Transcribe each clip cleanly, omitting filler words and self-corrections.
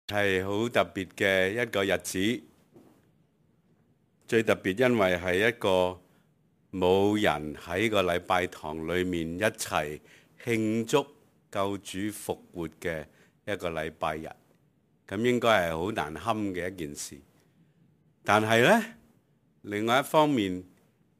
係好特別嘅一個日子，最特別因為係一個冇人喺個禮拜堂裏面一齊慶祝救主復活嘅一個禮拜日，咁應該係好難堪嘅一件事。但係呢，另外一方面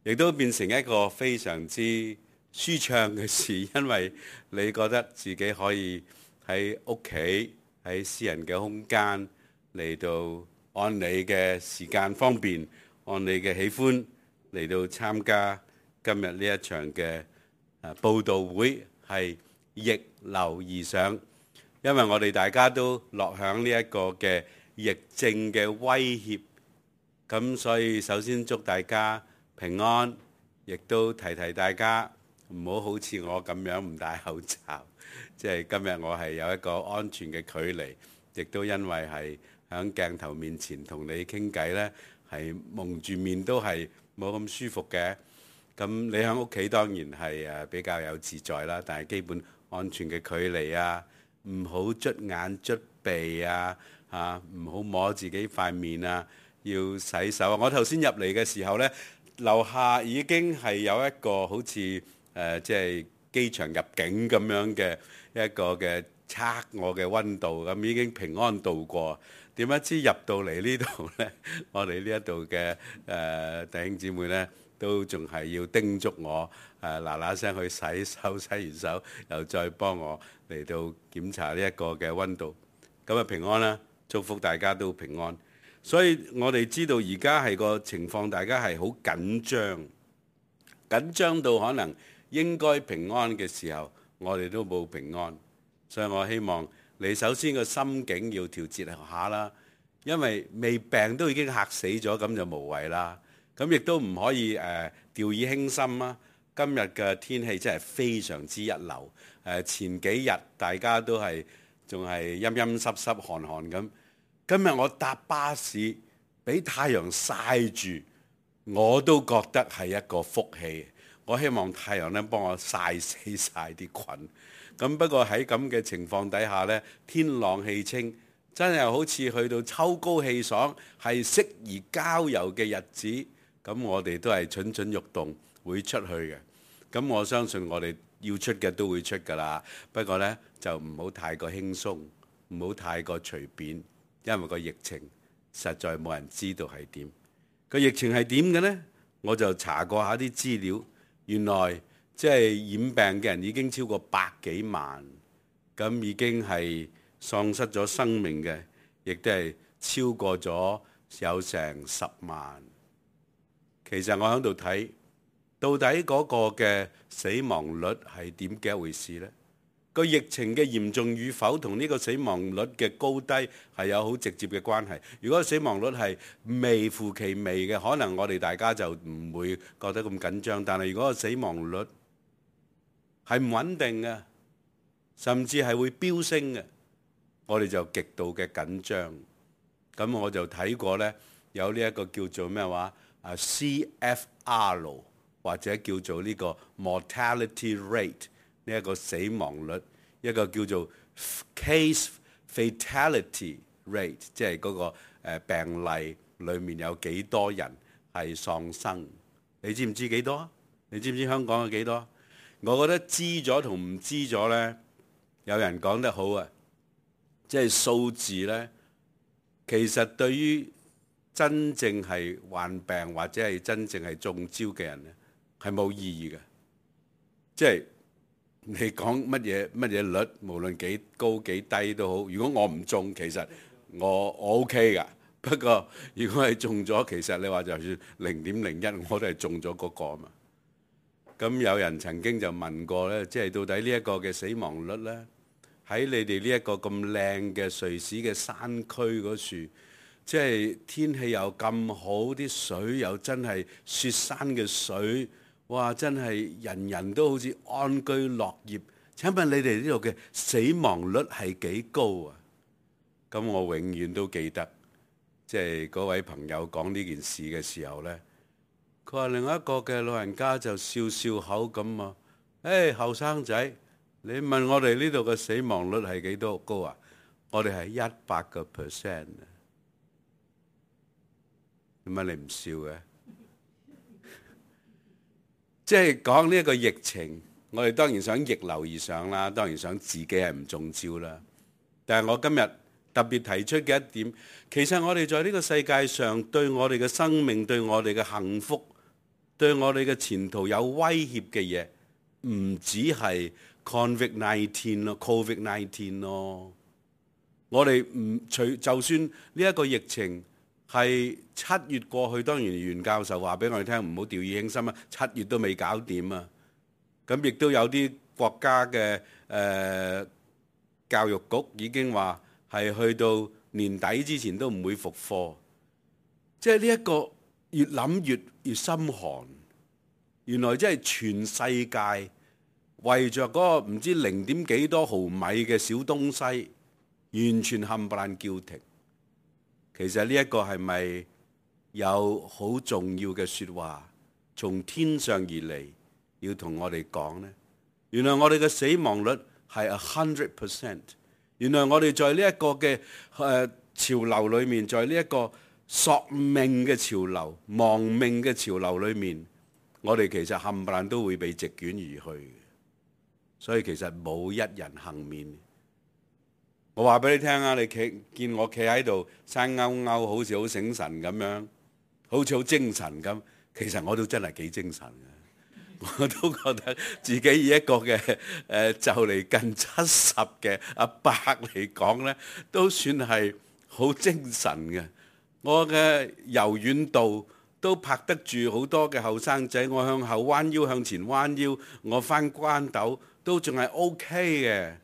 亦都變成一個非常之舒暢嘅事，因為你覺得自己可以喺屋企，喺私人嘅空間嚟到按你嘅時間方便，按你嘅喜歡嚟到參加今日呢一場嘅佈道會，係逆流而上。因為我哋大家都落響呢一個嘅疫症嘅威脅，咁所以首先祝大家平安，亦都提提大家唔好好似我咁樣唔戴口罩。即係今日我係有一個安全嘅距離，亦都因為係喺鏡頭面前同你傾偈呢，係蒙住面都係冇咁舒服嘅。咁你喺屋企當然係比較有自在啦，但係基本安全嘅距離啊，唔好捽眼捽鼻啊，唔好摸自己塊面啊，要洗手。我頭先入嚟嘅時候呢，樓下已經係有一個好似即係機場入境咁樣嘅一個嘅測我嘅溫度，咁已經平安度過。點不知入到嚟呢度呢，我哋呢一度嘅弟兄姊妹呢，都仲係要叮囑我嗱嗱聲去洗手，洗完手又再幫我嚟到檢查呢一個嘅溫度。咁啊平安啦，祝福大家都平安。所以我哋知道而家係個情況，大家係好緊張，緊張到可能應該平安嘅時候，我哋都冇平安。所以我希望你首先個心境要調節下啦，因為未病都已經嚇死咗，咁就無謂啦。咁亦都唔可以掉以輕心啊！今日嘅天氣真係非常之一流。前幾日大家都係仲係陰陰濕濕寒寒咁，今日我搭巴士俾太陽曬住，我都覺得係一個福氣。我希望太陽咧幫我曬死曬啲菌。咁不過喺咁嘅情況底下呢，天朗氣清，真係好似去到秋高氣爽，係適宜郊遊嘅日子。咁我哋都係蠢蠢欲動，會出去嘅。咁我相信我哋要出嘅都會出㗎啦。不過呢，就唔好太過輕鬆，唔好太過隨便，因為個疫情實在冇人知道係點。個疫情係點嘅呢？我就查過下啲資料，原來即係染病嘅人已經超過百幾萬，咁已經係喪失咗生命嘅，亦都係超過咗有成10萬。其實我喺度睇，到底嗰個嘅死亡率係點嘅一回事呢？個疫情嘅嚴重與否同呢個死亡率嘅高低係有好直接嘅關係。如果死亡率係微乎其微嘅，可能我哋大家就唔會覺得咁緊張。但係如果個死亡率係唔穩定嘅，甚至係會飆升嘅，我哋就極度嘅緊張。咁我就睇過呢，有呢一個叫做咩話CFR 或者叫做呢個 mortality rate 呢一個死亡率，一個叫做 case fatality rate， 即係嗰個病例裡面有幾多人係喪生。你知唔知幾多？你知唔知香港有幾多？我覺得知咗同唔知咗呢，有人講得好啊，即係數字呢，其實對於真正係患病或者係真正係中招嘅人呢，係冇意義嘅。即係你講乜嘢率，無論幾高幾低都好。如果我唔中，其實我 OK 㗎。不過如果係中咗，其實你話就算0.01，我都係中咗嗰個啊嘛。咁有人曾經就問過呢，即係到底呢一個嘅死亡率呢，喺你哋呢一個咁靚嘅瑞士嘅山區嗰處，即係天氣又咁好，啲水又真係雪山嘅水，哇！真係人人都好似安居樂業。請問你哋呢度嘅死亡率係幾高啊？咁我永遠都記得，即係嗰位朋友講呢件事嘅時候呢，佢話另外一個嘅老人家就笑笑口咁啊，後生仔，你問我哋呢度嘅死亡率係幾多高啊？我哋係100%啊！點解你唔笑嘅？即係講呢一個疫情，我哋當然想逆流而上啦，當然想自己係唔中招啦。但係我今日特別提出嘅一點，其實我哋在呢個世界上對我哋嘅生命、對我哋嘅幸福、對我哋嘅前途有威脅嘅嘢，唔止係 COVID-19 咯，COVID-19 咯。我哋就算呢一個疫情係7月過去，當然袁教授話俾我哋聽，唔好掉以輕心啊！7月都未搞掂啊！咁亦都有啲國家嘅教育局已經話係去到年底之前都唔會復課。即係呢一個越諗越心寒。原來即係全世界為着嗰個唔知0點幾多毫米嘅小東西，完全冚唪唥叫停。其實呢一個係咪有好重要嘅説話從天上而嚟，要同我哋講呢？原來我哋嘅死亡率係 100%。原來我哋在呢一個嘅潮流裏面，在呢一個索命嘅潮流、亡命嘅潮流裏面，我哋其實冚唪唥都會被席捲而去。所以其實冇一人幸免。我話俾你聽啊，你見我企喺度生勾勾，好似好醒神咁樣，好似好精神咁。其實我都真係幾精神嘅，我都覺得自己以一個嘅就嚟近70嘅阿伯嚟講呢，都算係好精神嘅。我嘅柔軟度都拍得住好多嘅後生仔。我向後彎腰，向前彎腰，我翻關斗都仲係 OK 嘅。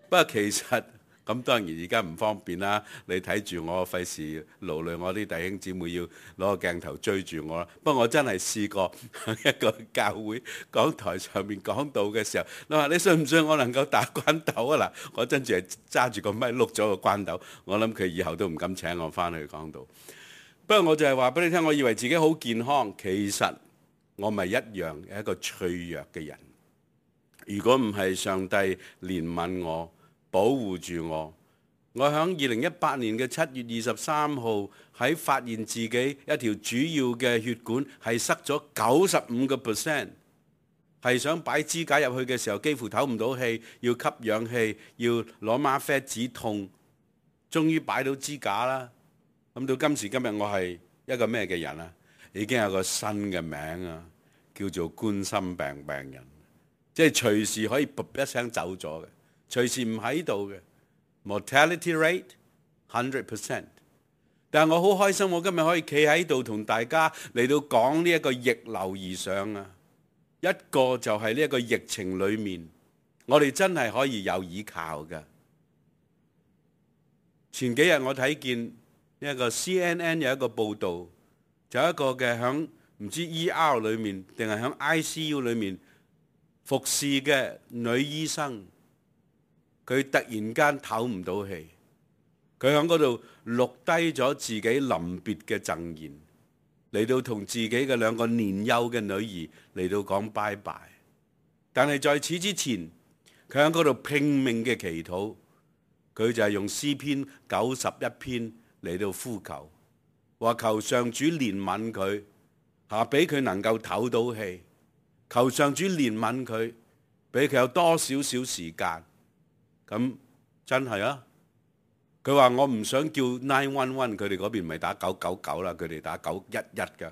不過其實咁當然而家唔方便啦，你睇住我，費事勞累我啲弟兄姊妹要攞個鏡頭追住我啦。不過我真係試過喺一個教會講台上面講道嘅時候，你話你信唔信我能夠打關斗啊？嗱，我真係揸住個咪碌咗個關斗，我諗佢以後都唔敢請我翻去講道。不過我就係話俾你聽，我以為自己好健康，其實我咪一樣係一個脆弱嘅人。如果唔係上帝憐憫我，保護住我，我喺2018年嘅7月23號喺發現自己一條主要嘅血管係塞咗95%，係想擺支架入去嘅時候幾乎唞唔到氣，要吸氧氣，要攞嗎啡止痛，終於擺到支架啦。咁到今時今日我係一個咩嘅人啊？已經有個新嘅名啊，叫做冠心病病人，即係隨時可以噗一聲走咗嘅。隨時唔喺度嘅 mortality rate 100%， 但係我好開心，我今日可以企喺度同大家嚟到講呢一個逆流而上啊！一個就係呢一個疫情裏面，我哋真係可以有依靠嘅。前幾日我睇見呢一個 CNN 有一個報導，就有一個嘅響唔知 ER 裏面定係響 ICU 裏面服侍嘅女醫生。佢突然間唞唔到氣，佢喺嗰度錄低咗自己臨別嘅贈言，嚟到同自己嘅2個年幼嘅女兒嚟到講拜拜。但係在此之前，佢喺嗰度拼命嘅祈禱，佢就係用詩篇91篇嚟到呼求，話求上主憐憫佢，俾佢能夠唞到氣，求上主憐憫佢，俾佢有多少少時間。咁真係啊！佢話我唔想叫911，佢哋嗰邊唔係打999啦，佢哋打911㗎。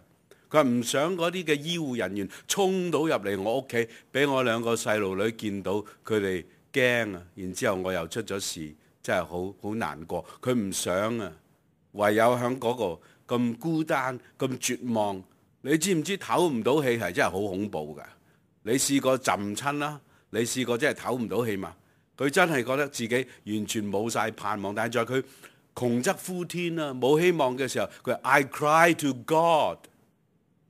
佢話唔想嗰啲嘅醫護人員衝到入嚟我屋企，俾我2個細路女見到，佢哋驚啊！然之後我又出咗事，真係好難過。佢唔想啊，唯有喺嗰個咁孤單、咁絕望。你知唔知唞唔到氣係真係好恐怖㗎？你試過浸親啦？你試過真係唞唔到氣嘛？佢真係覺得自己完全冇晒盼望，但係在佢窮則呼天啊，冇希望嘅時候，佢話 I cry to God。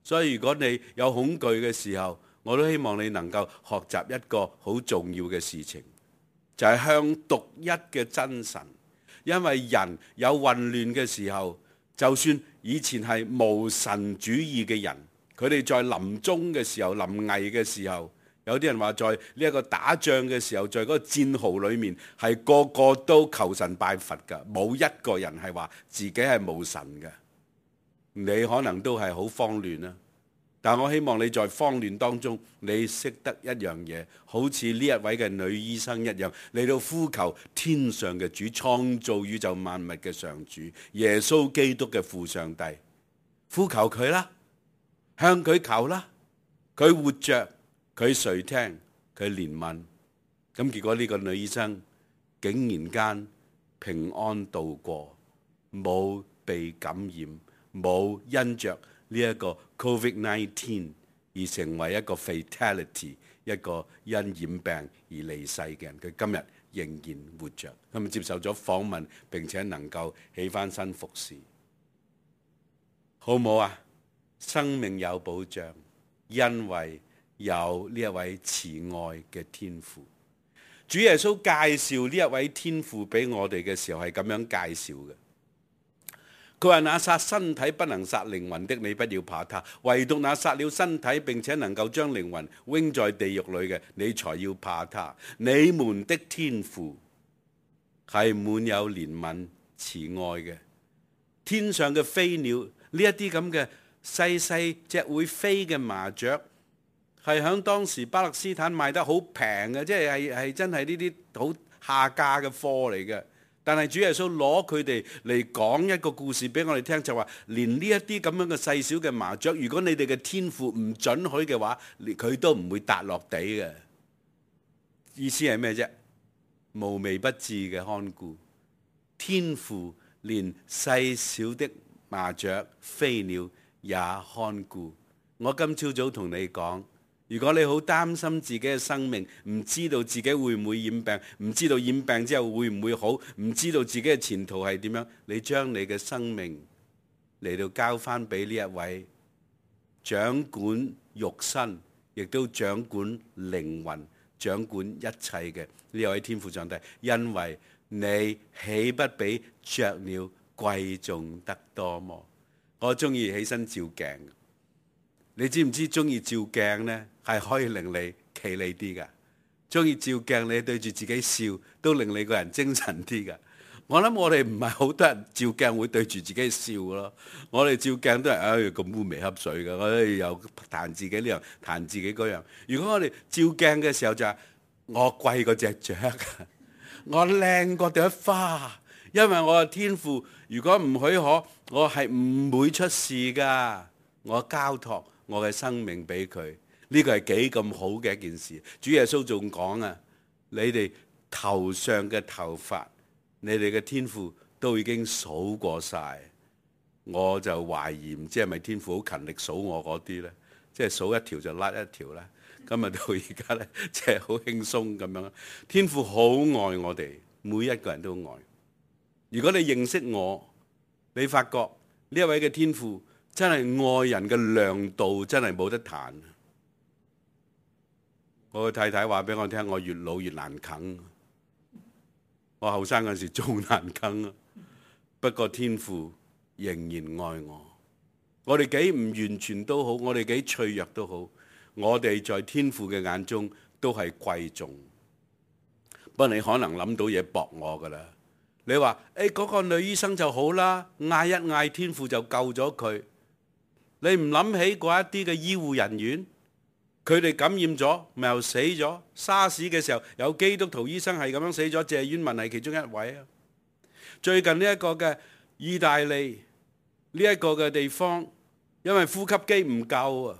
所以如果你有恐懼嘅時候，我都希望你能夠學習一個好重要嘅事情，就係向獨一嘅真神。因為人有混亂嘅時候，就算以前係無神主義嘅人，佢哋在臨終嘅時候、臨危嘅時候，有啲人話在呢一個打仗嘅時候，在嗰個戰壕裏面，係個個都求神拜佛㗎，冇一個人係話自己係冇神嘅。你可能都係好慌亂啦，但我希望你在慌亂當中，你識得一樣嘢，好似呢一位嘅女醫生一樣，嚟到呼求天上嘅主，創造宇宙萬物嘅上主，耶穌基督嘅父上帝，呼求佢啦，向佢求啦，佢活着。佢垂聽，佢憐憫，咁結果呢個女醫生竟然間平安度過，冇被感染，冇因着呢一個 COVID-19 而成為一個 fatality， 一個因染病而離世嘅人。佢今日仍然活着，咁接受咗訪問，並且能夠起返身服侍，好唔好啊？生命有保障，因為有呢一位慈愛嘅天父。主耶穌介紹呢一位天父俾我哋嘅時候係咁樣介紹嘅。佢話：那殺身體不能殺靈魂的，你不要怕他；唯獨那殺了身體並且能夠將靈魂扔在地獄裏嘅，你才要怕他。你們的天父係滿有憐憫慈愛嘅。天上嘅飛鳥，呢一啲咁嘅細細隻會飛嘅麻雀，係喺當時巴勒斯坦賣得好平嘅，即係真係呢啲好下價嘅貨嚟嘅。但係主耶穌攞佢哋嚟講一個故事俾我哋聽，就話連呢一啲咁樣嘅細小嘅麻雀，如果你哋嘅天父唔准許嘅話，佢都唔會踏落地嘅。意思係咩啫？無微不至嘅看顧，天父連細小的麻雀、飛鳥也看顧。我今朝早同你講，如果你好擔心自己嘅生命，唔知道自己會唔會染病，唔知道染病之後會唔會好，唔知道自己嘅前途係點樣，你將你嘅生命嚟到交翻俾呢一位掌管肉身，亦都掌管靈魂、掌管一切嘅呢位天父上帝，因為你豈不比雀鳥貴重得多麼？我中意起身照鏡。你知唔知中意照鏡呢係可以令你企理啲噶？中意照鏡，你對住自己笑都令你個人精神啲噶。我諗我哋唔係好多人照鏡會對住自己笑咯。我哋照鏡都係咁烏眉瞌水噶，我哋又彈自己呢樣，彈自己嗰樣。如果我哋照鏡嘅時候就係我貴過隻雀，我靚過朵花，因為我嘅天父如果唔許可，我係唔會出事噶。我交託我嘅生命俾佢，呢個係幾咁好嘅一件事。主耶穌仲講啊，你哋頭上嘅頭髮，你哋嘅天父都已經數過晒。我就懷疑唔知係咪天父好勤力數我嗰啲呢？即係數一條就甩一條啦。今日到而家呢，即係好輕鬆咁樣。天父好愛我哋，每一個人都愛。如果你認識我，你發覺呢一位嘅天父真係愛人嘅量度真係冇得彈。我嘅太太話俾我聽，我越老越難啃。我後生嗰時仲難啃啊，不過天父仍然愛我。我哋幾唔完全都好，我哋幾脆弱都好，我哋在天父嘅眼中都係貴重。不過你可能諗到嘢駁我噶啦。你話嗰個女醫生就好啦，嗌一嗌天父就救咗佢。你唔諗起嗰一啲嘅醫護人員，佢哋感染咗，咪又死咗。沙士嘅時候有基督徒醫生係咁樣死咗，謝婉文係其中一位啊。最近呢一個嘅意大利呢一個嘅地方，因為呼吸機唔夠啊。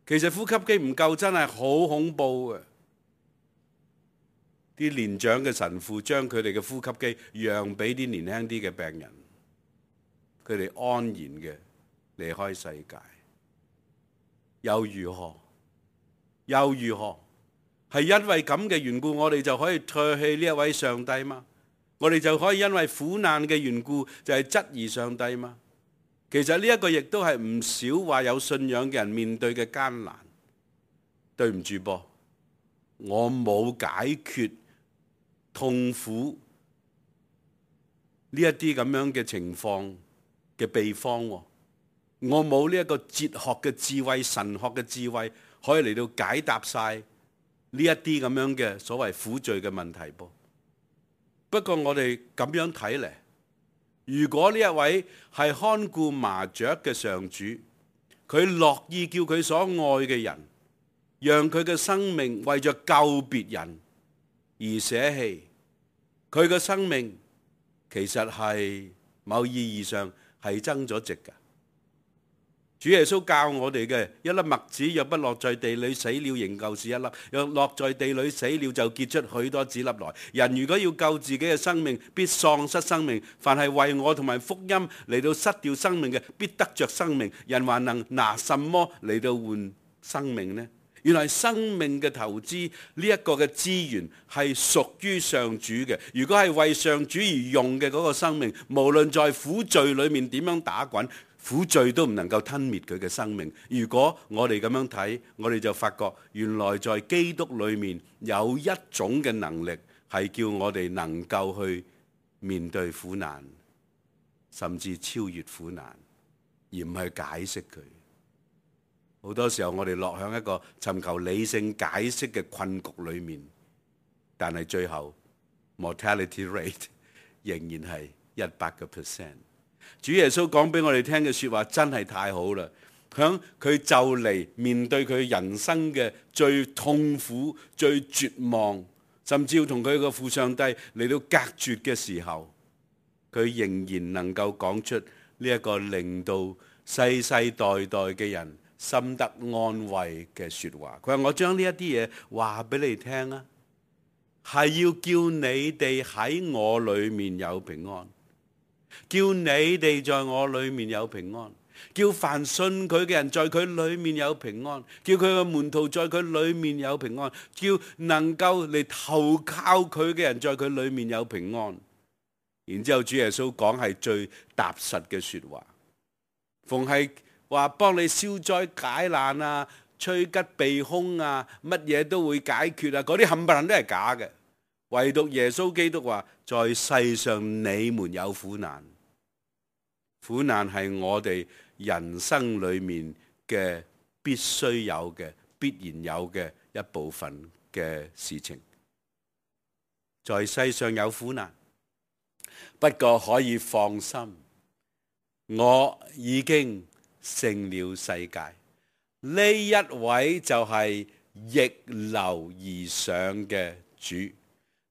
其實呼吸機唔夠真係好恐怖嘅。啲年長嘅神父將佢哋嘅呼吸機讓俾啲年輕啲嘅病人，佢哋安然嘅離開世界，又如何？又如何？係因為咁嘅緣故，我哋就可以唾棄呢一位上帝嗎？我哋就可以因為苦難嘅緣故，就係質疑上帝嗎？其實呢一個亦都係唔少話有信仰嘅人面對嘅艱難。對唔住噃，我冇解決痛苦呢一啲咁樣嘅情況嘅秘方喎。我冇呢一個哲學嘅智慧、神學嘅智慧可以嚟到解答晒呢一啲咁樣嘅所謂苦罪嘅問題噃。不過我哋咁樣睇嚟，如果呢一位係看顧麻雀嘅上主，佢樂意叫佢所愛嘅人，讓佢嘅生命為着救別人而捨棄，佢嘅生命其實係某意義上係增咗值㗎。主耶穌教我哋嘅，一粒麥子若不落在地裏死了，仍舊是一粒；若落在地裏死了，就結出許多子粒來。人如果要救自己嘅生命，必喪失生命；凡係為我同埋福音嚟到失掉生命嘅，必得着生命。人還能拿什麼嚟到換生命呢？原來生命嘅投資呢一個嘅資源係屬於上主嘅。如果係為上主而用嘅嗰個生命，無論在苦罪裏面點樣打滾，苦罪都唔能夠吞滅佢嘅生命。如果我哋咁樣睇，我哋就發覺原來在基督裏面有一種嘅能力，係叫我哋能夠去面對苦難，甚至超越苦難，而唔係解釋佢。好多時候我哋落向一個尋求理性解釋嘅困局裏面，但係最後 mortality rate 仍然係100%。主耶穌講俾我哋聽嘅說話真係太好啦！響佢就嚟面對佢人生嘅最痛苦、最絕望，甚至要同佢個父上帝嚟到隔絕嘅時候，佢仍然能夠講出呢一個令到世世代代嘅人心得安慰嘅說話。佢話：我將呢一啲嘢話俾你聽啊，係要叫你哋喺我裏面有平安。叫你哋在我裏面有平安，叫凡信佢嘅人在佢裏面有平安，叫佢嘅門徒在佢裏面有平安，叫能夠嚟投靠佢嘅人在佢裏面有平安。然之後主耶穌講係最踏實嘅說話，逢係話幫你消災解難啊、趨吉避凶啊，乜嘢都會解決啊，嗰啲冚唪唥都係假嘅。唯獨耶穌基督話：在世上你們有苦難，苦難係我哋人生裏面嘅必須有嘅、必然有嘅一部分嘅事情。在世上有苦難，不過可以放心，我已經勝了世界。呢一位就係逆流而上嘅主。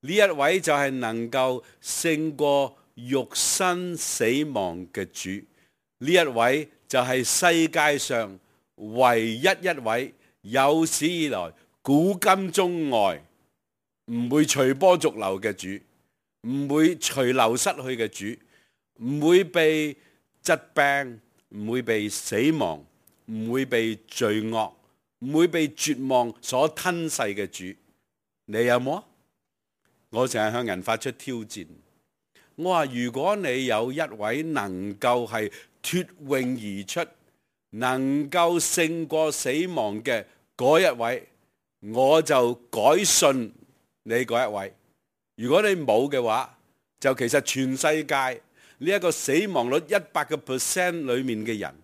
呢一位就係能夠勝過肉身死亡嘅主，呢一位就係世界上唯一一位有史以來古今中外唔會隨波逐流嘅主，唔會隨流失去嘅主，唔會被疾病，唔會被死亡，唔會被罪惡，唔會被絕望所吞噬嘅主。你有冇啊？我成日向人發出挑戰，我話如果你有一位能夠係脫穎而出，能夠勝過死亡嘅嗰一位，我就改信你嗰一位。如果你冇嘅話，就其實全世界呢一個死亡率100%裏面嘅人，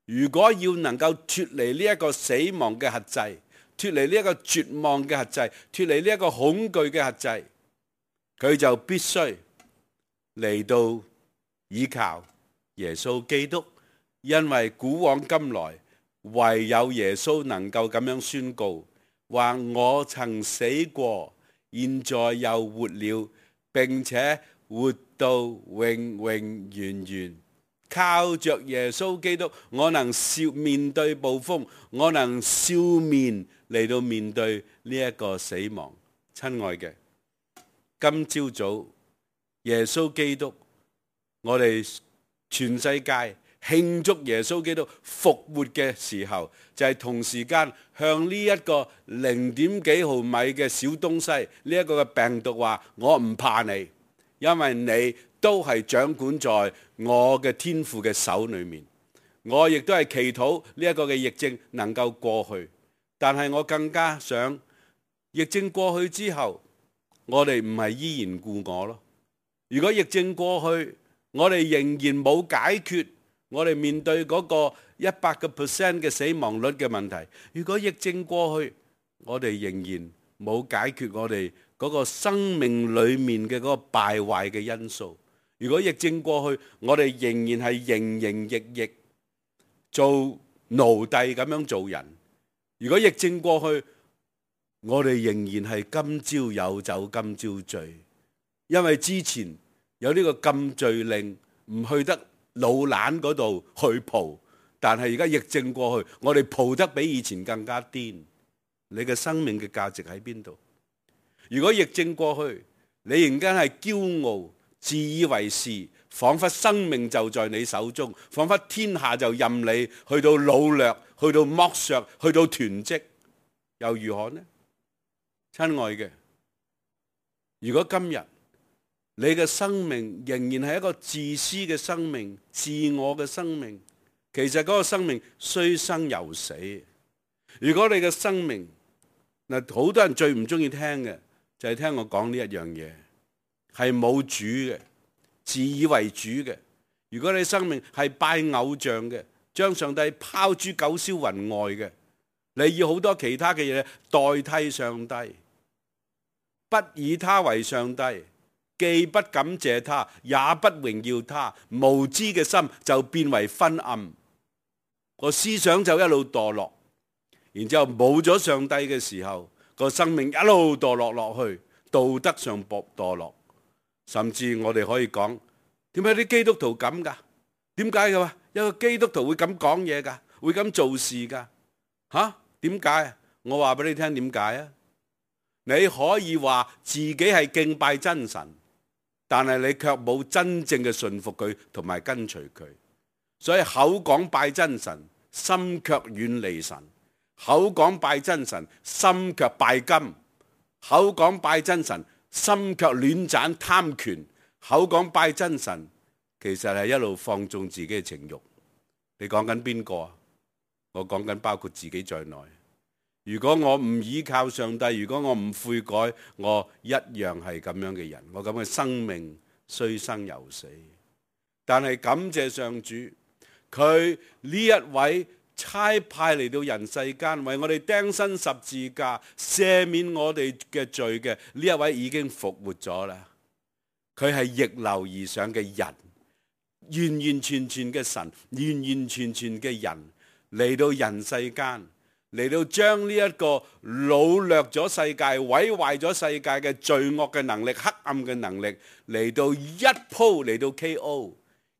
如果要能夠脫離呢一個死亡嘅轄制，脫離呢一個絕望嘅轄制，脫離呢一個恐懼嘅轄制，佢就必須嚟到依靠耶穌基督，因為古往今來唯有耶穌能夠咁樣宣告，話我曾死過，現在又活了，並且活到永永遠遠。靠着耶穌基督，我能面對暴風，我能笑面嚟到面對呢一個死亡。親愛嘅，今朝早耶穌基督，我哋全世界慶祝耶穌基督復活嘅時候，就係同時間向呢一個0.幾毫米嘅小東西，呢一個嘅病毒話：我唔怕你，因為你都係掌管在我嘅天父嘅手裏面。我亦都係祈禱呢一個嘅疫症能夠過去，但係我更加想疫症過去之後，我哋唔係依然故我咯。如果疫症過去，我哋仍然冇解決我哋面對嗰個100% 嘅死亡率嘅問題，如果疫症過去，我哋仍然冇解決我哋嗰個生命裏面嘅嗰個敗壞嘅因素。如果疫症過去，我哋仍然係營營役役做奴隸咁樣做人。如果疫症過去，我哋仍然係今朝有酒今朝醉，因為之前有呢個禁醉令，唔去得老蘭嗰度去蒲，但係而家疫症過去，我哋蒲得比以前更加癲。你嘅生命嘅價值喺邊度？如果疫症過去，你仍然係驕傲、自以為是，彷彿生命就在你手中，彷彿天下就任你去到擄掠、去到剝削、去到囤積，又如何呢？親愛嘅，如果今日你嘅生命仍然係一個自私嘅生命、自我嘅生命，其實嗰個生命雖生猶死。如果你嘅生命嗱，好多人最唔中意聽嘅就係聽我講呢一樣嘢，係冇主嘅，自以為主嘅。如果你生命係拜偶像嘅，將上帝拋諸九霄雲外嘅，你要好多其他嘅嘢代替上帝，不以他為上帝，既不感謝他，也不榮耀他，無知嘅心就變為昏暗，個思想就一路墮落，然之後冇咗上帝嘅時候，個生命一路墮落落去，道德上墮落，甚至我哋可以講，點解啲基督徒咁噶？點解嘅話，有個基督徒會咁講嘢噶，會咁做事噶？吓？點解？我話俾你聽點解啊？你可以話自己係敬拜真神，但係你卻冇真正嘅順服佢同埋跟隨佢，所以口講拜真神，心卻遠離神；口講拜真神，心卻拜金；口講拜真神，心卻亂斬貪權；口講拜真神，其實係一路放縱自己嘅情慾。你講緊邊個啊？我講緊包括自己在內。如果我唔依靠上帝，如果我唔悔改，我一樣係咁樣嘅人。我咁嘅生命雖生猶死，但係感謝上主，佢呢一位差派嚟到人世間，為我哋釘身十字架，赦免我哋嘅罪嘅呢一位已經復活咗啦。佢係逆流而上嘅人，完完全全嘅神，完完全全嘅人嚟到人世間。嚟到將呢一個擄掠咗世界、毀壞咗世界嘅罪惡嘅能力、黑暗嘅能力，嚟到一鋪嚟到 KO，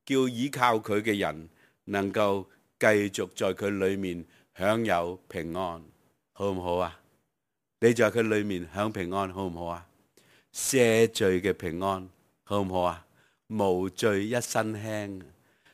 叫依靠佢嘅人能夠繼續在佢裏面享有平安，好唔好啊？你在佢裏面享平安，好唔好啊？赦罪嘅平安，好唔好啊？無罪一身輕。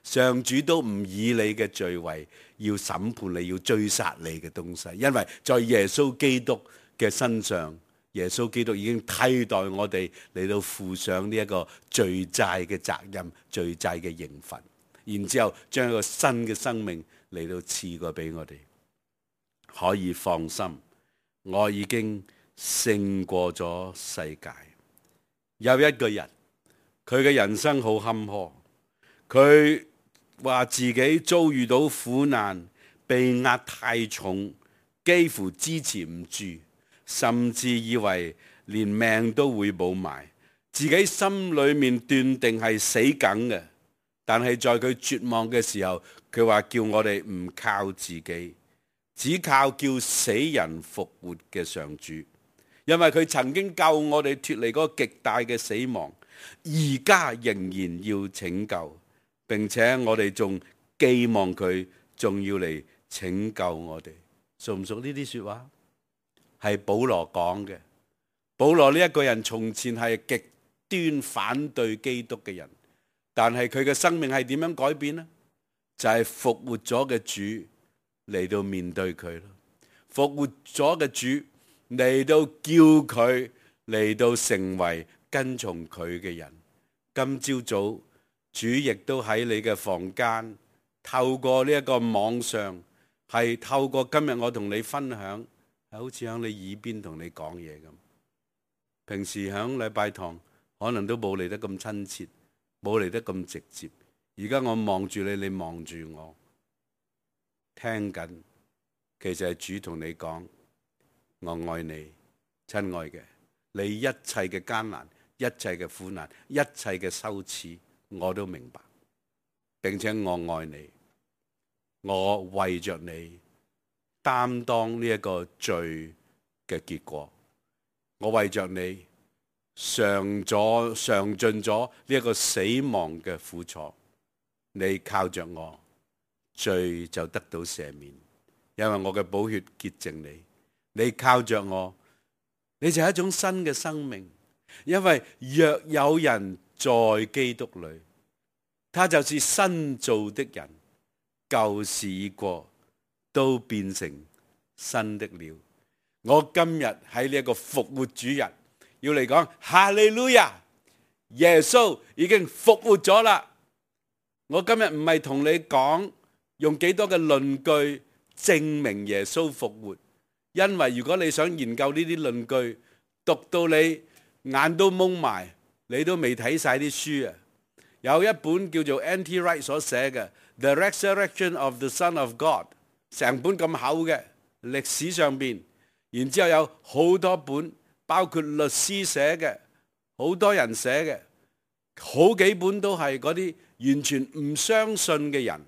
上主都唔以你嘅罪為要審判你、要追殺你嘅東西，因為在耶穌基督嘅身上，耶穌基督已經替代我哋嚟到負上呢一個罪債嘅責任、罪債嘅刑罰，然之後將一個新嘅生命嚟到賜過俾我哋，可以放心，我已經勝過咗世界。有一個人，佢嘅人生好坎坷，佢話自己遭遇到苦難，被壓太重，幾乎支持唔住，甚至以為連命都會冇埋，自己心裏面斷定係死梗嘅。但係在佢絕望嘅時候，佢話叫我哋唔靠自己，只靠叫死人復活嘅上主，因為佢曾經救我哋脫離嗰個極大嘅死亡，而家仍然要拯救。並且我哋仲寄望佢仲要嚟拯救我哋，熟唔熟呢啲說話？係保羅講嘅。保羅呢一個人從前係極端反對基督嘅人，但係佢嘅生命係點樣改變呢？就係復活咗嘅主嚟到面對佢咯。復活咗嘅主嚟到叫佢嚟到成為跟從佢嘅人。今朝早，主亦都喺你嘅房間，透過呢一個網上，係透過今日我同你分享，係好似喺你耳邊同你講嘢咁。平時喺禮拜堂可能都冇嚟得咁親切，冇嚟得咁直接，而家我望住你，你望住我，聽緊，其實係主同你講，我愛你，親愛嘅，你一切嘅艱難、一切嘅苦難、一切嘅羞恥，我都明白，並且我愛你，我為着你擔當呢一個罪嘅結果，我為着你嘗盡咗呢一個死亡嘅苦楚，你靠着我，罪就得到赦免，因為我嘅寶血潔淨你。你靠着我，你就係一種新嘅生命。因為若有人在基督裏，他就是新造的人，舊事已過，都變成新的了。我今日喺呢一個復活主日，要嚟講哈利路亞，耶穌已經復活咗啦。我今日唔係同你講用幾多嘅論據證明耶穌復活，因為如果你想研究呢啲論據，讀到你眼都蒙埋，你都未睇晒啲書啊！有一本叫做 N.T. Wright 所寫嘅《The Resurrection of the Son of God》，成本咁厚嘅歷史上邊，然之後有好多本，包括律師寫嘅，好多人寫嘅，好幾本都係嗰啲完全唔相信嘅人，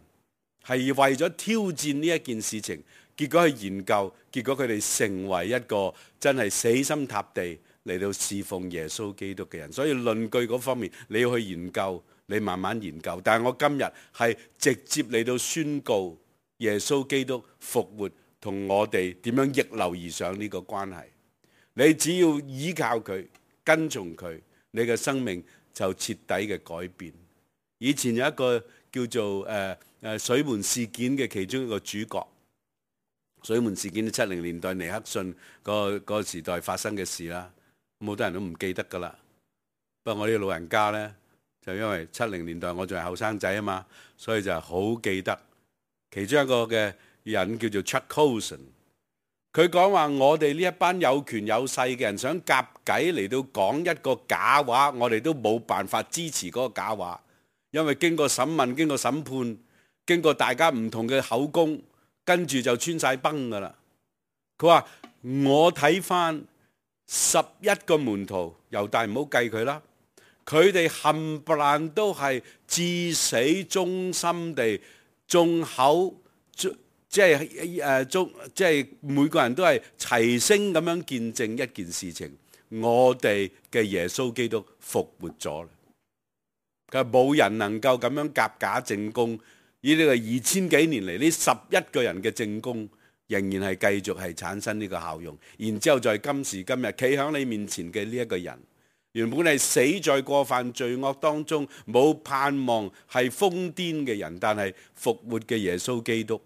係為咗挑戰呢一件事情，結果去研究，結果佢哋成為一個真係死心塌地嚟到侍奉耶穌基督嘅人。所以論據嗰方面你要去研究，你慢慢研究。但係我今日係直接嚟到宣告耶穌基督復活同我哋點樣逆流而上呢個關係。你只要依靠佢，跟從佢，你嘅生命就徹底嘅改變。以前有一個叫做水門事件嘅其中一個主角，水門事件喺70年代尼克遜嗰個時代發生嘅事啦，好多人都唔記得噶啦。不過我呢個老人家呢，就因為70年代我仲係後生仔啊嘛，所以就好記得。其中一個嘅人叫做 Chuck Colson， 佢講話我哋呢一班有權有勢嘅人想夾計嚟到講一個假話，我哋都冇辦法支持嗰個假話，因為經過審問、經過審判、經過大家唔同嘅口供，跟住就穿晒崩噶啦。佢話我睇翻11個門徒，猶大唔好計佢啦，佢哋冚唪唥都係至死忠心地眾口，即係每個人都係齊聲咁樣見證一件事情，我哋嘅耶穌基督復活咗啦。佢話冇人能夠咁樣夾假證供，以呢個2000幾年嚟呢11個人嘅證供，仍然係繼續係產生呢個效用。然之後在今時今日企喺你面前嘅呢一個人，原本係死在過犯罪惡當中，冇盼望，係瘋癲嘅人，但係復活嘅耶穌基督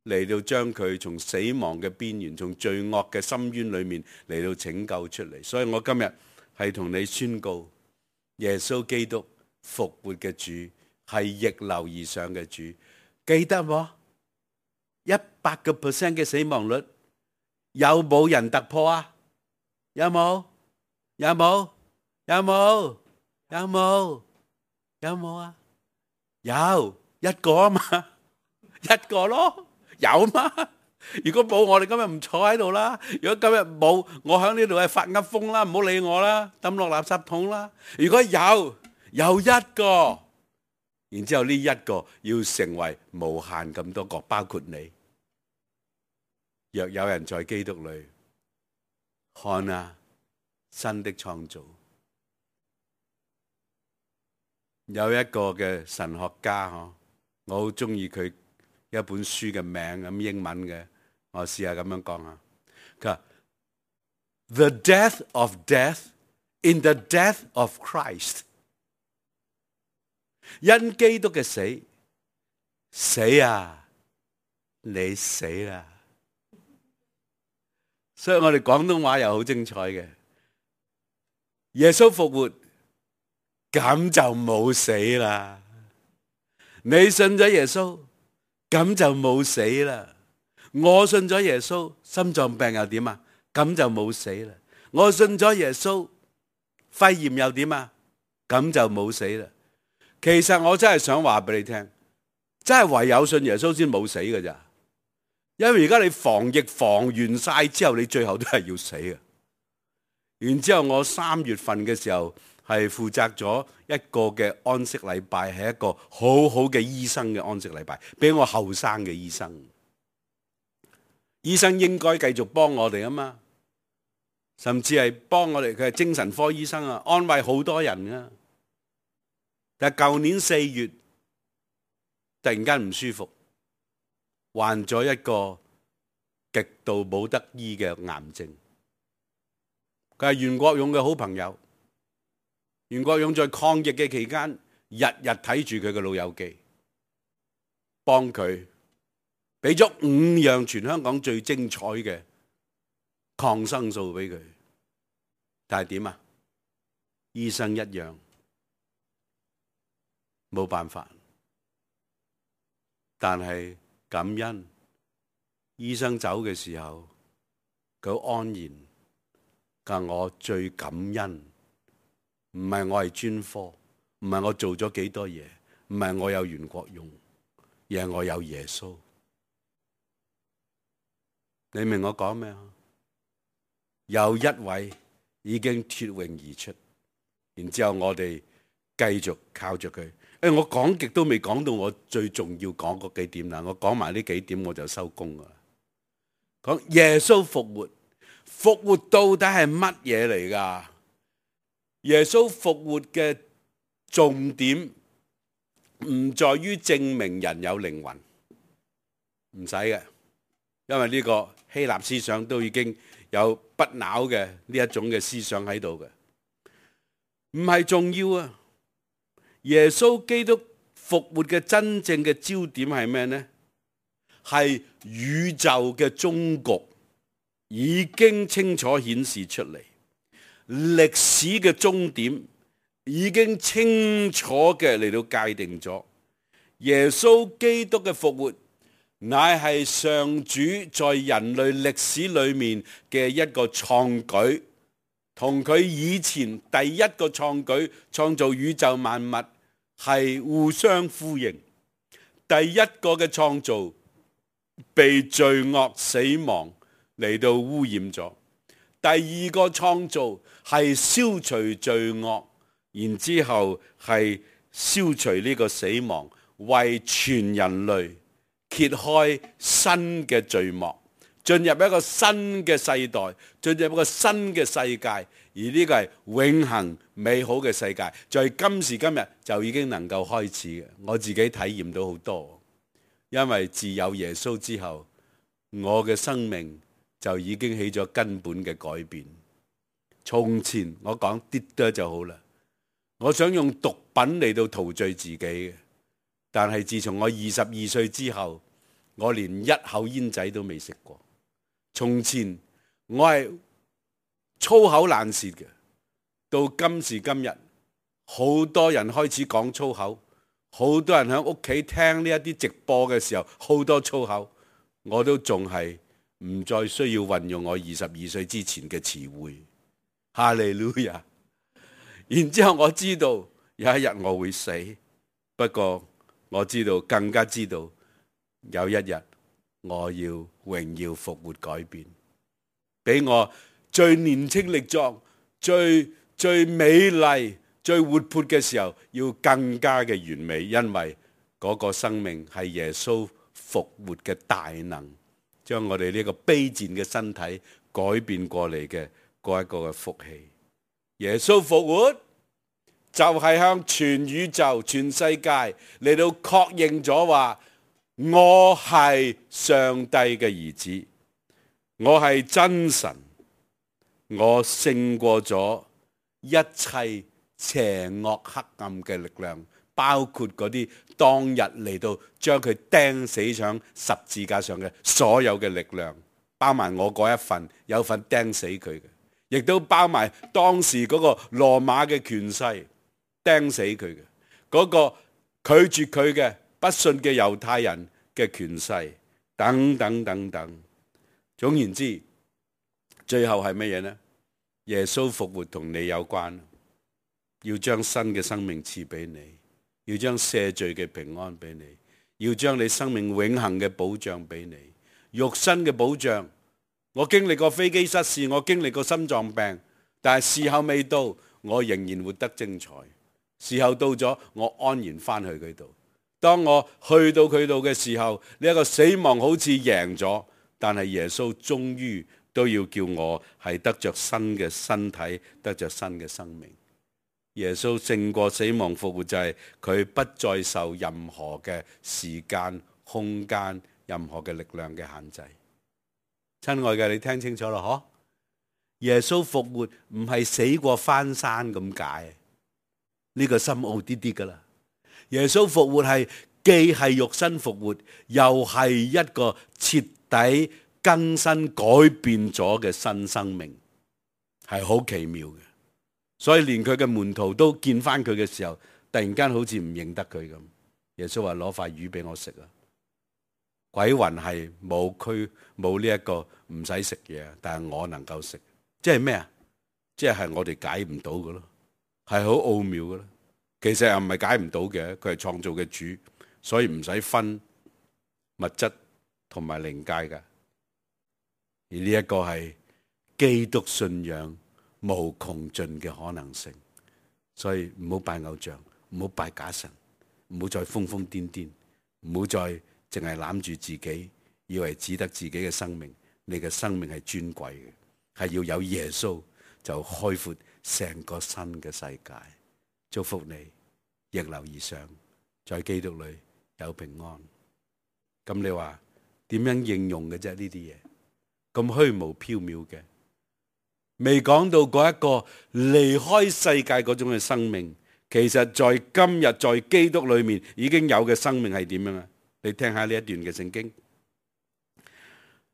嚟到將佢從死亡嘅邊緣，從罪惡嘅深淵裏面嚟到拯救出嚟。所以我今日係同你宣告，耶穌基督復活嘅主係逆流而上嘅主。記得喎，100% 嘅死亡率，有冇人突破啊？有冇？有冇？有冇？有冇？有冇啊？有一個啊嘛，一個咯。有嗎？如果冇，我哋今日唔坐喺度啦。如果今日冇，我喺呢度係發噏風啦，唔好理我啦，抌落垃圾桶啦。如果有一個，然之後呢一個要成為無限咁多個，包括你。若有人在基督裏，看啊，新的創造。有一個嘅神學家，我好中意佢一本書嘅名，咁英文嘅，我試下咁樣講下。佢話 The death of death in the death of Christ， 因基督嘅死，死啊，你死啦！所以我哋廣東話又好精彩嘅，耶穌復活，咁就冇死啦。你信咗耶穌，咁就冇死啦。我信咗耶穌，心臟病又點啊？咁就冇死啦。我信咗耶穌，肺炎又點啊？咁就冇死啦。其實我真係想話俾你聽，真係唯有信耶穌先冇死㗎咋。因為而家你防疫防完晒之後，你最後都係要死嘅。然之後我3月份嘅時候係負責咗一個嘅安息禮拜，係一個好好嘅醫生嘅安息禮拜，俾我後生嘅醫生。醫生應該繼續幫我哋啊嘛，甚至係幫我哋，佢係精神科醫生啊，安慰好多人啊。但係舊年4月突然間唔舒服，患咗一個極度冇得醫嘅癌症。佢係袁國勇嘅好朋友，袁國勇在抗疫嘅期間，日日睇住佢嘅老友記，幫佢俾咗5樣全香港最精彩嘅抗生素俾佢。但係點啊？醫生一樣冇辦法。但係感恩，醫生走嘅時候，佢好安然。但我最感恩，唔係我係專科，唔係我做咗幾多嘢，唔係我有袁國勇，而係我有耶穌。你明我講咩啊？有一位已經脫穎而出，然之後我哋繼續靠着佢。我講極都未講到我最重要講嗰幾點啦，我講埋呢幾點我就收工噶啦。講耶穌復活。復活到底係乜嘢嚟㗎？耶穌復活嘅重點唔在於證明人有靈魂，唔使嘅，因為呢個希臘思想都已經有不朽嘅呢一種嘅思想喺度嘅，唔係重要啊！耶穌基督復活嘅真正嘅焦點係咩呢？係宇宙嘅終局已經清楚顯示出嚟，歷史嘅終點已經清楚嘅嚟到界定咗。耶穌基督嘅復活，乃係上主在人類歷史裏面嘅一個創舉，同佢以前第一個創舉創造宇宙萬物係互相呼應。第一個嘅創造被罪惡死亡嚟到污染咗，第二個創造係消除罪惡，然之後係消除呢個死亡，為全人類揭開新嘅序幕，進入一個新嘅世代，進入一個新嘅世界，而呢個係永恆美好嘅世界，在今時今日就已經能夠開始嘅。我自己體驗到好多，因為自有耶穌之後，我嘅生命就已經起咗根本嘅改變。從前我講啲多就好啦，我想用毒品嚟到陶醉自己嘅，但係自從我22歲之後，我連一口煙仔都未食過。從前我係粗口爛舌嘅，到今時今日，好多人開始講粗口，好多人喺屋企聽呢一啲直播嘅時候，好多粗口，我都仲係唔再需要運用我22歲之前嘅詞彙。哈利路亞！然之後我知道有一日我會死，不過我知道更加知道有一日我要榮耀復活改變，俾我最年輕力壯、最美麗、最活潑嘅時候要更加嘅完美，因為嗰個生命係耶穌復活嘅大能，將我哋呢個卑賤嘅身體改變過嚟嘅嗰一個嘅福氣。耶穌復活就係向全宇宙、全世界嚟到確認咗話，我係上帝嘅兒子，我係真神，我勝過咗一切邪惡黑暗嘅力量，包括嗰啲當日嚟到將佢釘死上十字架上嘅所有嘅力量，包埋我嗰一份，有份釘死佢嘅，亦都包埋當時嗰個羅馬嘅權勢釘死佢嘅，嗰個拒絕佢嘅不信嘅猶太人嘅權勢等等等等。總言之，最後係乜嘢呢？耶穌復活同你有關，要將新嘅生命賜俾你，要將赦罪嘅平安俾你，要將你生命永恆嘅保障俾你，肉身嘅保障。我經歷過飛機失事，我經歷過心臟病，但係時候未到，我仍然活得精彩。時候到咗，我安然翻去佢度。當我去到佢度嘅時候，呢一個死亡好似贏咗，但係耶穌終於都要叫我係得着新嘅身體，得着新嘅生命。耶穌勝過死亡復活，就係佢不再受任何嘅時間、空間、任何嘅力量嘅限制。親愛嘅，你聽清楚啦，嗬？耶穌復活唔係死過翻山咁解，呢個深奧啲啲噶啦。耶穌復活係既係肉身復活，又係一個徹底更新改變咗嘅新生命，係好奇妙嘅。所以連佢嘅門徒都見翻佢嘅時候，突然間好似唔認得佢咁。耶穌話：攞塊魚俾我食啊！鬼魂係冇呢一個唔使食嘢，但係我能夠食，即係咩啊？即係我哋解唔到嘅咯，係好奧妙嘅咯。其實又唔係解唔到嘅，佢係創造嘅主，所以唔使分物質同埋靈界嘅。而呢一個係基督信仰無窮盡嘅可能性，所以唔好拜偶像，唔好拜假神，唔好再瘋瘋癲癲，唔好再淨係攬住自己，以為只得自己嘅生命。你嘅生命係尊貴嘅，係要有耶穌就開闊成個新嘅世界。祝福你逆流而上，在基督裏有平安。咁你話點樣應用嘅啫？呢啲嘢咁虛無縹緲嘅，未講到嗰一個離開世界嗰種嘅生命，其實在今日在基督裏面已經有嘅生命係點樣啊？你聽下呢一段嘅聖經。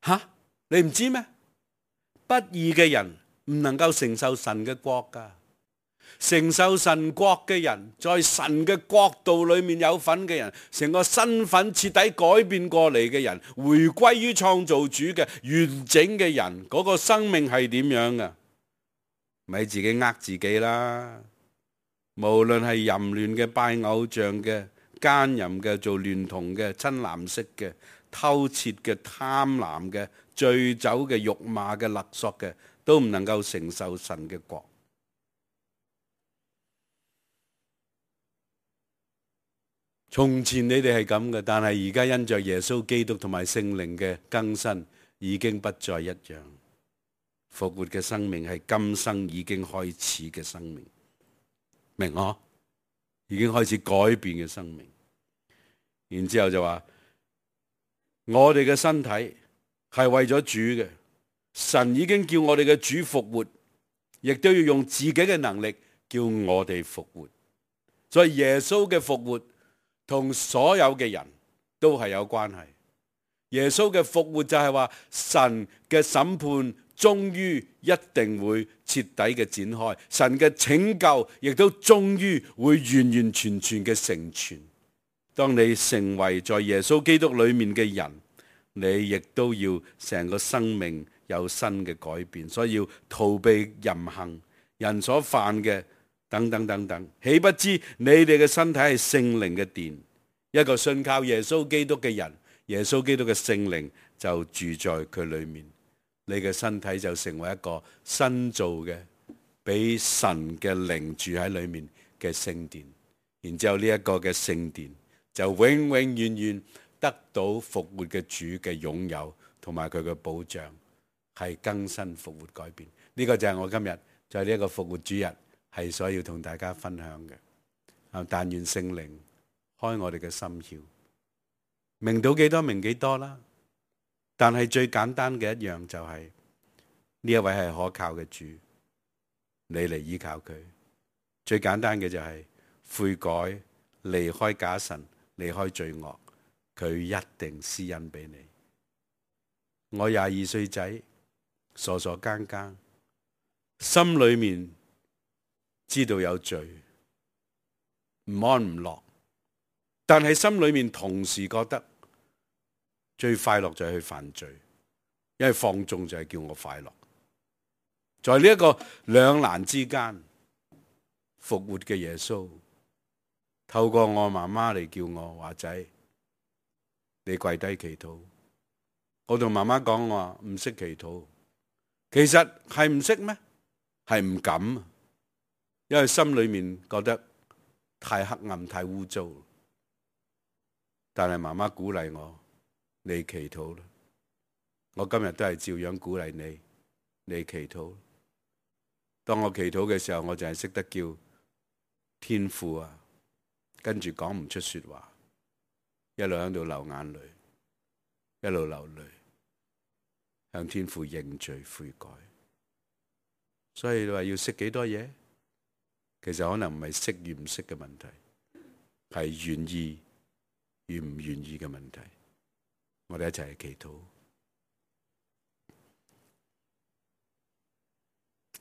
吓，你唔知咩？不義嘅人唔能夠承受神嘅國噶。承受神國嘅人，在神嘅國度裏面有份嘅人，成個身份徹底改變過嚟嘅人，回歸於創造主嘅完整嘅人，嗰個生命係點樣噶？咪自己呃自己啦！無論係淫亂嘅、拜偶像嘅、奸淫嘅、做孌童嘅、親男色嘅、偷竊嘅、貪婪嘅、醉酒嘅、辱罵嘅、勒索嘅，都唔能夠承受神嘅國。從前你哋係咁嘅，但係而家因着耶穌基督同埋聖靈嘅更新，已經不再一樣。復活嘅生命係今生已經開始嘅生命，明嗬？已經開始改變嘅生命。然之後就話，我哋嘅身體係為咗主嘅，神已經叫我哋嘅主復活，亦都要用自己嘅能力叫我哋復活。所以耶穌嘅復活同所有嘅人都係有關係。耶穌嘅復活就係話，神嘅審判終於一定會徹底嘅展開，神嘅拯救亦都終於會完完全全嘅成全。當你成為在耶穌基督裏面嘅人，你亦都要成個生命有新嘅改變，所以要逃避淫行、人所犯嘅等等等等。豈不知你哋嘅身體係聖靈嘅殿，一個信靠耶穌基督嘅人，耶穌基督嘅聖靈就住在佢裏面，你嘅身體就成為一個新造嘅，俾神嘅靈住喺裏面嘅聖殿。然之後呢一個嘅聖殿就永永遠遠得到復活嘅主嘅擁有同埋佢嘅保障，係更新復活改變。呢個就係我今日在呢一個復活主日係所要同大家分享嘅。但願聖靈開我哋嘅心竅，明到幾多明幾多啦。但係最簡單嘅一樣就係呢一位係可靠嘅主，你嚟依靠佢。最簡單嘅就係悔改，離開假神，離開罪惡，佢一定施恩俾你。我22歲仔，傻傻更更，心裏面知道有罪，唔安唔樂，但係心裏面同時覺得最快樂就係去犯罪，因為放縱就係叫我快樂。在呢一個兩難之間，復活嘅耶穌透過我媽媽嚟叫我華仔，你跪低祈禱。我同媽媽講，我話唔識祈禱。其實係唔識咩？係唔敢，因為心裏面覺得太黑暗、太污糟。但係媽媽鼓勵我，你祈禱啦。我今日都係照樣鼓勵你，你祈禱。當我祈禱嘅時候，我就係識得叫天父啊，跟住講唔出說話，一路喺度流眼淚，一路流淚，向天父認罪悔改。所以你話要識幾多嘢？其實可能唔係識與唔識嘅問題，係願意與唔願意嘅問題。我哋一齊去祈禱。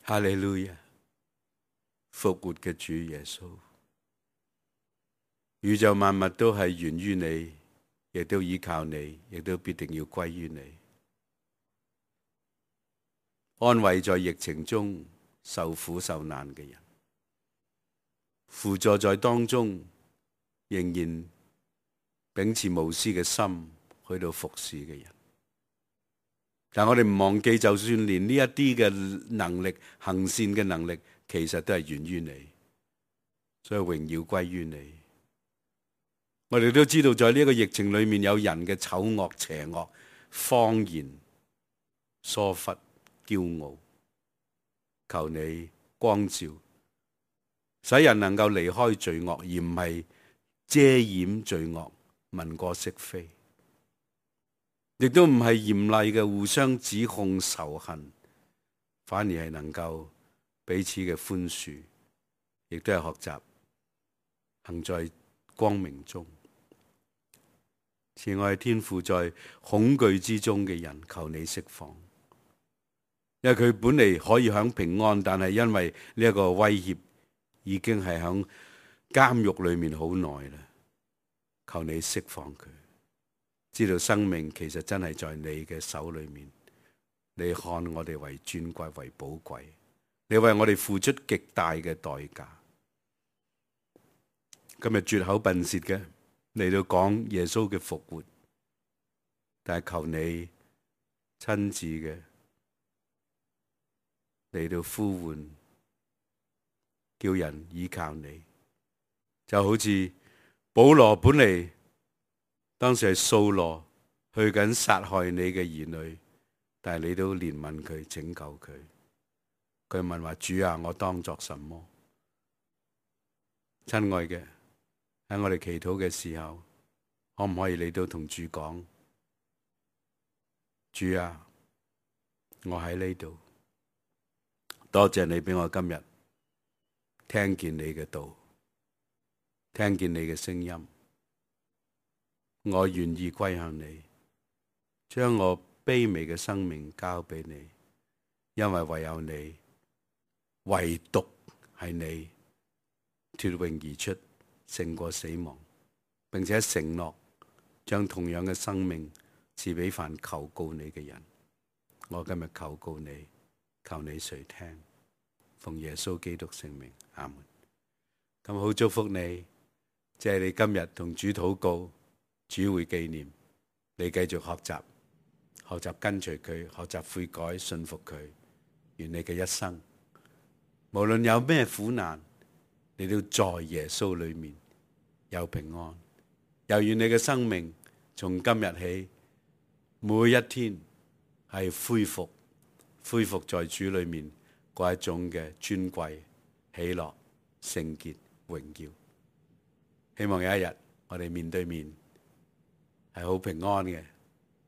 哈利路亞，復活嘅主耶穌，宇宙萬物都係源於你，亦都依靠你，亦都必定要歸於你。安慰在疫情中受苦受難嘅人，輔助在當中仍然秉持無私嘅心去到服侍嘅人。但我哋唔忘記，就算連呢一啲嘅能力，行善嘅能力，其實都係源於你，所以榮耀歸於你。我哋都知道，在呢個疫情裏面，有人嘅醜惡、邪惡、謊言、疏忽、驕傲，求你光照，使人能夠離開罪惡，而唔係遮掩罪惡、文過飾非。亦都唔係嚴厲嘅互相指控仇恨，反而係能夠彼此嘅寬恕，亦都係學習行在光明中。慈愛天父，在恐懼之中嘅人，求你釋放，因為佢本嚟可以享平安，但係因為呢一個威脅，已經係響監獄裏面好耐啦。求你釋放佢。知道生命其實真係在你嘅手裏面，你看我哋為尊貴為寶貴，你為我哋付出極大嘅代價。今日絕口笨舌嘅嚟到講耶穌嘅復活，但係求你親自嘅嚟到呼喚，叫人依靠你，就好似保羅本嚟。當時係掃羅去緊殺害你嘅兒女，但係你都憐憫佢，拯救佢。佢問話：主啊，我當作什麼？親愛嘅，喺我哋祈禱嘅時候，可唔可以你都同主講：主啊，我喺呢度，多謝你俾我今日聽見你嘅道，聽見你嘅聲音。我願意歸向你，將我卑微嘅生命交俾你，因為唯有你，唯獨係你脫穎而出，勝過死亡，並且承諾將同樣嘅生命賜俾凡求告你嘅人。我今日求告你，求你垂聽，奉耶穌基督聖名，阿門。咁好祝福你，謝你今日同主禱告。主會紀念你，繼續學習跟隨佢，學習悔改，信服佢。願你嘅一生，無論有咩苦難，你都在耶穌裏面有平安。又願你嘅生命從今日起，每一天係恢復在主裏面嗰一種嘅尊貴、喜樂、聖潔、榮耀。希望有一日我哋面對面，係好平安嘅，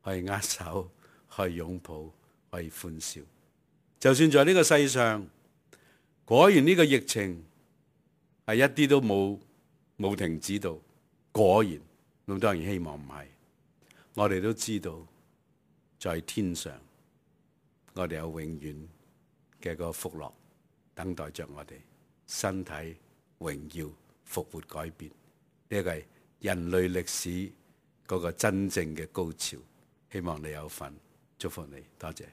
可以握手，可以擁抱，可以歡笑。就算在呢個世上，果然呢個疫情係一啲都冇停止到，果然，咁當然希望唔係。我哋都知道，在天上，我哋有永遠嘅個福樂等待着我哋，身體榮耀復活改變。呢個係人類歷史嗰個真正嘅高潮，希望你有份，祝福你，多謝。